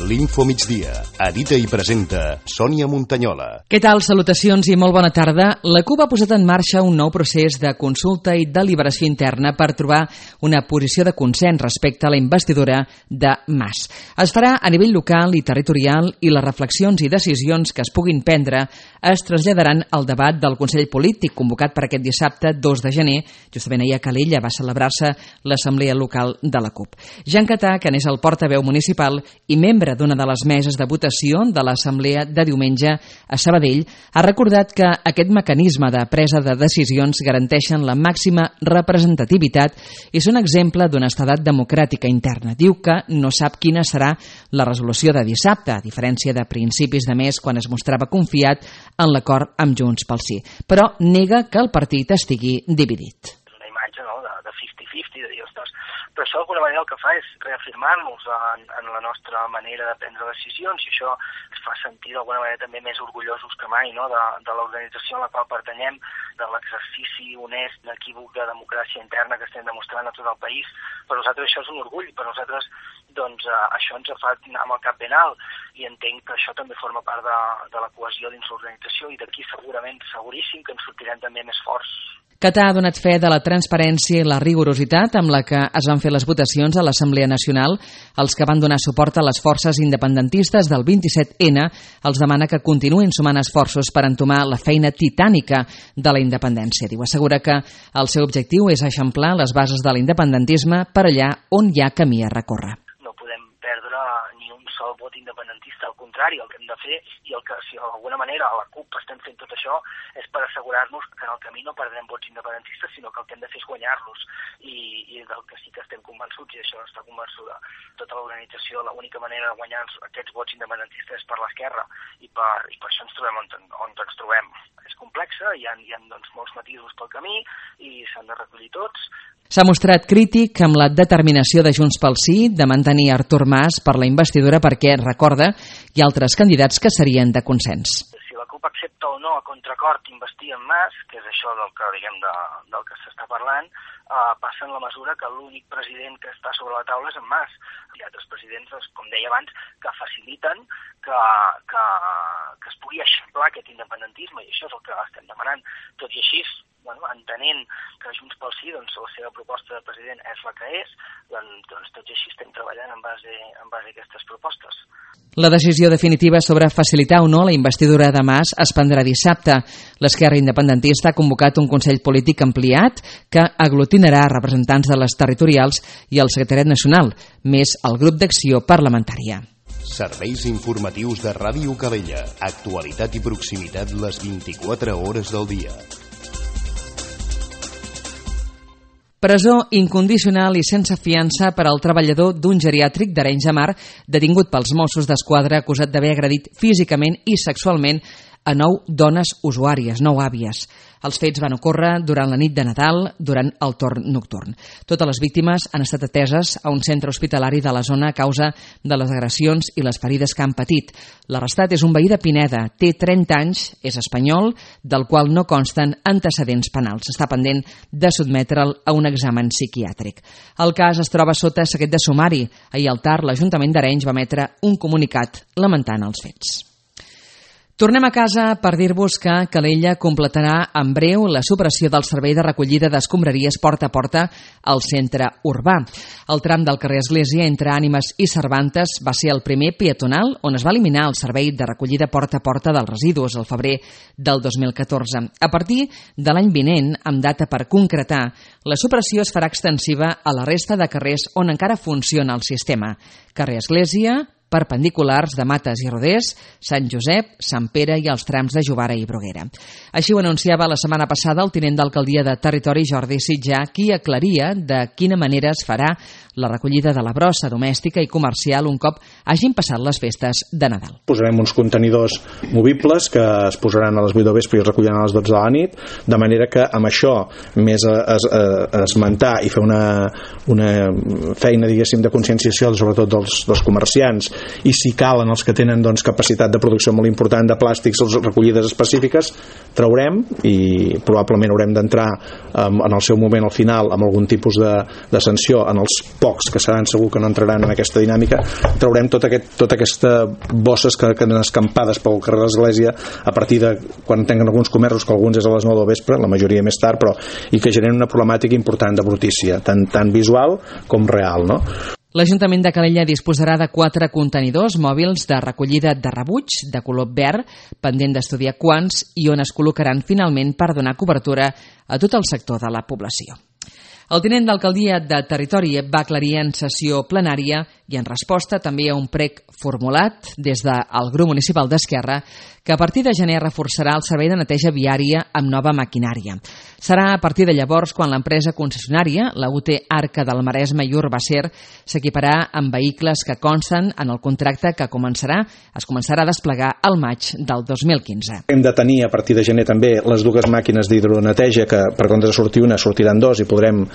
L'Info Migdia. Edita i presenta Sònia Montanyola. Què tal? Salutacions i molt bona tarda. La CUP ha posat en marxa un nou procés de consulta i deliberació interna per trobar una posició de consens respecte a la investidura de Mas. Es farà a nivell local i territorial i les reflexions i decisions que es puguin prendre es traslladaran al debat del Consell Polític convocat per aquest dissabte 2 de gener. Justament ahir a Calella va celebrar-se l'Assemblea Local de la CUP. Jean Catà, que n'és el portaveu municipal i membre d'una de les meses de votació de l'Assemblea de diumenge a Sabadell, ha recordat que aquest mecanisme de presa de decisions garanteixen la màxima representativitat i són exemple d'una estadat democràtica interna. Diu que no sap quina serà la resolució de dissabte, a diferència de principis de mes quan es mostrava confiat en l'acord amb Junts pel Sí, però nega que el partit estigui dividit. Una imatge, no?, de 50-50, de dir, ostres, però això d'alguna manera el que fa és reafirmar-nos en la nostra manera de prendre decisions i això ens fa sentir d'alguna manera també més orgullosos que mai, no?, de l'organització a la qual pertanyem, de l'exercici honest, inequívoc de democràcia interna que estem demostrant a tot el país. Per nosaltres això és un orgull, per nosaltres doncs això ens fa anar amb el cap ben alt i entenc que això també forma part de la cohesió dins l'organització i d'aquí segurament, seguríssim que ens sortirem també més forts. Catà ha donat fe de la transparència i la rigorositat amb la que es van fer les votacions a l'Assemblea Nacional. Els que van donar suport a les forces independentistes del 27N els demana que continuïn sumant esforços per entomar la feina titànica de la independència. Diu, assegura que el seu objectiu és eixamplar les bases de l'independentisme per allà on hi ha camí a recórrer. No podem perdre ni un sol vot independentista, al contrari, el que hem de fer i el que, si d'alguna manera a la CUP estem fent tot això és per assegurar-nos que en el camí no perdrem vots independentistes, sinó que el que hem de fer és guanyar-los i del que sí que estem convençuts, i això està convençuda tota l'organització, l'única manera de guanyar aquests vots independentistes és per l'esquerra i per això ens trobem on ens trobem. És complexa, hi ha doncs, molts matisos pel camí i s'han de recollir tots. S'ha mostrat crític amb la determinació de Junts pel Sí de mantenir Artur Mas per la investidura perquè, recorda, hi ha altres candidats que serien de consens. Si la CUP accepta o no a contracort investir en Mas, que és això del que s'està parlant, passa en la mesura que l'únic president que està sobre la taula és en Mas. Hi ha altres presidents, com deia abans, que faciliten que es pugui eixamplar aquest independentisme i això és el que estem demanant. Tot i així, entenent que Junts pel Sí, la seva proposta de president és la que és, doncs tot i així estem treballant en base a aquestes propostes. La decisió definitiva sobre facilitar o no la investidura de Mas es prendrà dissabte. L'Esquerra Independentista ha convocat un Consell Polític ampliat que aglutinarà representants de les territorials i el Secretariat Nacional, més el grup d'acció parlamentària. Serveis informatius de Ràdio Calella. Actualitat i proximitat les 24 hores del dia. Presó incondicional i sense fiança per al treballador d'un geriàtric d'Arenys de Mar detingut pels Mossos d'Esquadra acusat d'haver agredit físicament i sexualment a 9 dones usuàries, 9 àvies. Els fets van ocórrer durant la nit de Nadal, durant el torn nocturn. Totes les víctimes han estat ateses a un centre hospitalari de la zona a causa de les agressions i les ferides que han patit. L'arrestat és un veí de Pineda, té 30 anys, és espanyol, del qual no consten antecedents penals. Està pendent de sotmetre'l a un examen psiquiàtric. El cas es troba sota secret de sumari. Ahir al tard, l'Ajuntament d'Arenys va emetre un comunicat lamentant els fets. Tornem a casa per dir-vos que Calella completarà en breu la supressió del servei de recollida d'escombraries porta a porta al centre urbà. El tram del carrer Església entre Ànimes i Cervantes va ser el primer peatonal on es va eliminar el servei de recollida porta a porta dels residus al febrer del 2014. A partir de l'any vinent, amb data per concretar, la supressió es farà extensiva a la resta de carrers on encara funciona el sistema. Carrer Església, perpendiculars de Mates i Rodés, Sant Josep, Sant Pere i els trams de Jovara i Bruguera. Així ho anunciava la setmana passada el tinent d'alcaldia de Territori, Jordi Sitjà, qui aclaria de quina manera es farà la recollida de la brossa domèstica i comercial un cop hagin passat les festes de Nadal. Posarem uns contenidors movibles que es posaran a les 8 del vespre i es recolliran a les 12 de la nit, de manera que amb això, més esmentar i fer una feina, diguéssim, de conscienciació, sobretot dels comerciants i si calen els que tenen capacitat de producció molt important de plàstics o recollides específiques, traurem, i probablement haurem d'entrar en el seu moment al final amb algun tipus de sanció en els pocs que seran segur que no entraran en aquesta dinàmica. Traurem tota aquesta bosses que queden escampades pel carrer de l'Església a partir de quan tenen alguns comerços, que alguns és a les 9 del vespre, la majoria més tard, però i que generen una problemàtica important de brutícia, tant visual com real, no? L'Ajuntament de Calella disposarà de 4 contenidors mòbils de recollida de rebuig de color verd, pendent d'estudiar quants i on es col·locaran finalment per donar cobertura a tot el sector de la població. El tinent d'alcaldia de Territori va aclarir en sessió plenària i en resposta també a un prec formulat des del grup municipal d'Esquerra que a partir de gener reforçarà el servei de neteja viària amb nova maquinària. Serà a partir de llavors quan l'empresa concessionària, la UT Arca del Maresme i Urbacer, s'equiparà amb vehicles que consten en el contracte que es començarà a desplegar al maig del 2015. Hem de tenir a partir de gener també les 2 màquines d'hidroneteja que per comptes de sortir una sortiran 2 i podrem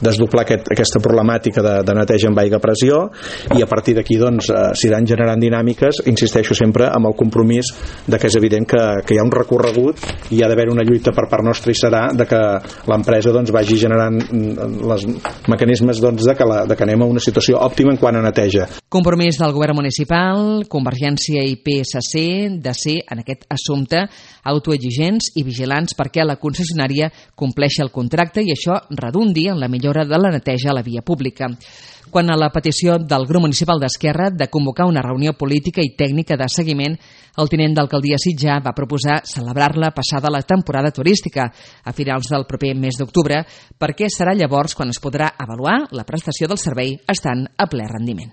desdoblar aquesta problemàtica de neteja amb aigua a pressió, i a partir d'aquí s'aniran generant dinàmiques, insisteixo sempre amb el compromís de que és evident que hi ha un recorregut i hi ha d'haver una lluita per part nostra, i serà de que l'empresa vagi generant els mecanismes de que anem a una situació òptima en quant a neteja. Compromís del govern municipal, Convergència i PSC de ser en aquest assumpte autoexigents i vigilants perquè la concessionària compleixi el contracte i això redundi en la millora de la neteja a la via pública. Quant a la petició del grup municipal d'Esquerra de convocar una reunió política i tècnica de seguiment, el tinent d'alcaldia Sitjar va proposar celebrar-la passada la temporada turística, a finals del proper mes d'octubre, perquè serà llavors quan es podrà avaluar la prestació del servei estant a ple rendiment.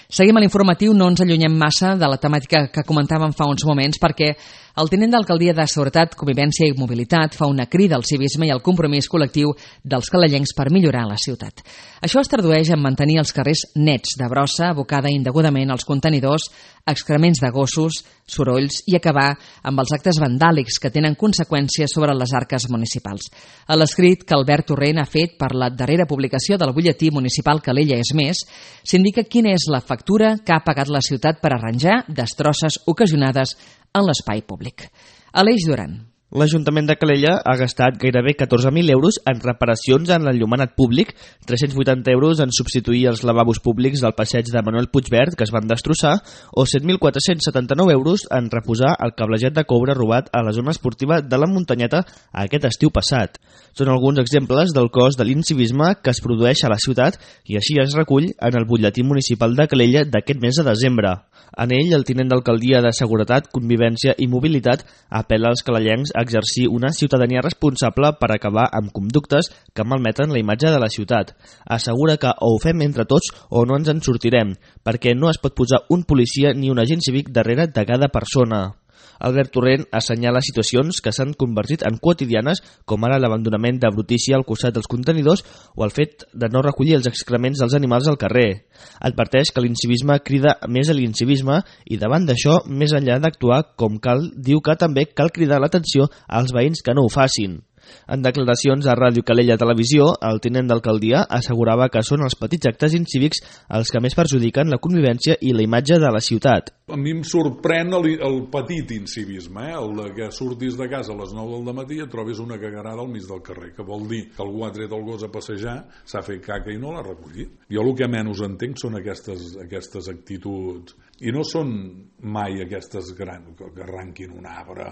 Seguim a l'informatiu, no ens allunyem massa de la temàtica que comentàvem fa uns moments perquè el tinent d'alcaldia de Seguretat, Convivència i Mobilitat fa una crida al civisme i al compromís col·lectiu dels calellencs per millorar la ciutat. Això es tradueix en mantenir els carrers nets de brossa abocada indegudament als contenidors, excrements de gossos, sorolls i acabar amb els actes vandàlics que tenen conseqüències sobre les arques municipals. A l'escrit que Albert Torrent ha fet per la darrera publicació del butlletí municipal Calella és més, s'indica quina és la factura que ha pagat la ciutat per arranjar destrosses ocasionades en l'espai públic. Aleix Duran. L'Ajuntament de Calella ha gastat gairebé 14.000 euros en reparacions en l'enllumenat públic, 380 euros en substituir els lavabos públics del passeig de Manuel Puigverd, que es van destrossar, o 7.479 euros en reposar el cablejat de coure robat a la zona esportiva de la Muntanyeta aquest estiu passat. Són alguns exemples del cost de l'incivisme que es produeix a la ciutat i així es recull en el butlletí municipal de Calella d'aquest mes de desembre. En ell, el tinent d'alcaldia de Seguretat, Convivència i Mobilitat apel·la als calellencs a exercir una ciutadania responsable per acabar amb conductes que malmeten la imatge de la ciutat. Assegura que o ho fem entre tots o no ens en sortirem, perquè no es pot posar un policia ni un agent cívic darrere de cada persona. Albert Torrent assenyala situacions que s'han convertit en quotidianes, com ara l'abandonament de brutícia al costat dels contenidors o el fet de no recollir els excrements dels animals al carrer. Adverteix que l'incivisme crida més a l'incivisme i davant d'això, més enllà d'actuar com cal, diu que també cal cridar l'atenció als veïns que no ho facin. En declaracions a Ràdio Calella Televisió, el tinent d'alcaldia assegurava que són els petits actes incívics els que més perjudiquen la convivència i la imatge de la ciutat. A mi em sorprèn el petit incivisme, el de que surtis de casa a les 9 del matí i et trobis una cagarada al mig del carrer, que vol dir que algú ha tret el gos a passejar, s'ha fet caca i no l'ha recollit. Jo el que menys entenc són aquestes actituds, i no són mai aquestes grans, que arranquin un arbre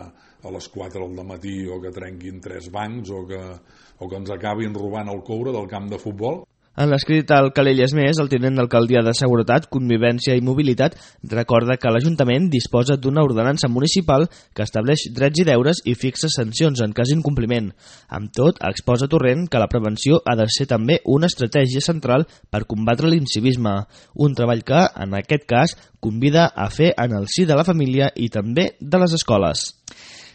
a les 4 del matí o que trenquin 3 bancs o que ens acabin robant el coure del camp de futbol. En l'escrit al Calella és més, el tinent d'alcaldia de Seguretat, Convivència i Mobilitat recorda que l'Ajuntament disposa d'una ordenança municipal que estableix drets i deures i fixa sancions en cas d'incompliment. Amb tot, exposa Torrent que la prevenció ha de ser també una estratègia central per combatre l'incivisme, un treball que, en aquest cas, convida a fer en el si de la família i també de les escoles.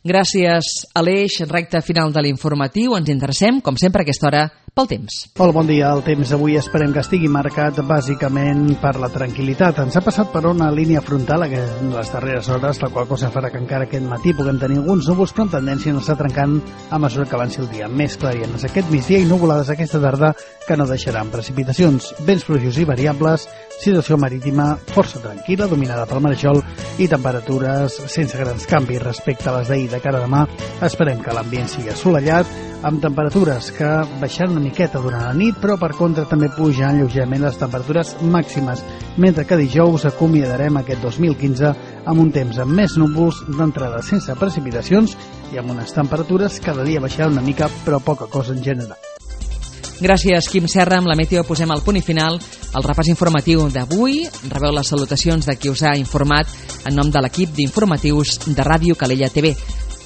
Gràcies, Aleix. Recte final de l'informatiu. Ens interessem, com sempre a aquesta hora, pel temps. Hola, bon dia. El temps avui esperem que estigui marcat bàsicament per la tranquil·litat. Ens ha passat per una línia frontal en les darreres hores, la qual cosa farà que encara aquest matí puguem tenir alguns núvols, però amb tendència a anar trencant a mesura que avanci el dia. Més clarianes aquest migdia i nuvolades aquesta tarda que no deixaran precipitacions. Vents fluixos i variables, situació marítima força tranquil·la, dominada pel marejol i temperatures sense grans canvis respecte a les d'ahir. De cara a demà esperem que l'ambient sigui assolellat, amb temperatures que baixaran una miqueta durant la nit, però per contra també pujaran lleugerament les temperatures màximes, mentre que dijous acomiadarem aquest 2015 amb un temps amb més núvols, d'entrada sense precipitacions i amb unes temperatures cada dia baixaran una mica, però poca cosa en general. Gràcies, Quim Serra. Amb la Meteo posem el punt i final al repàs informatiu d'avui. Rebeu les salutacions de qui us ha informat en nom de l'equip d'informatius de Ràdio Calella TV.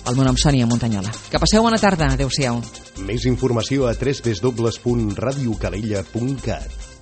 El meu nom és Sònia Montanyola. Que passeu bona tarda. Adéu-siau. Més informació a www.radiocalella.cat.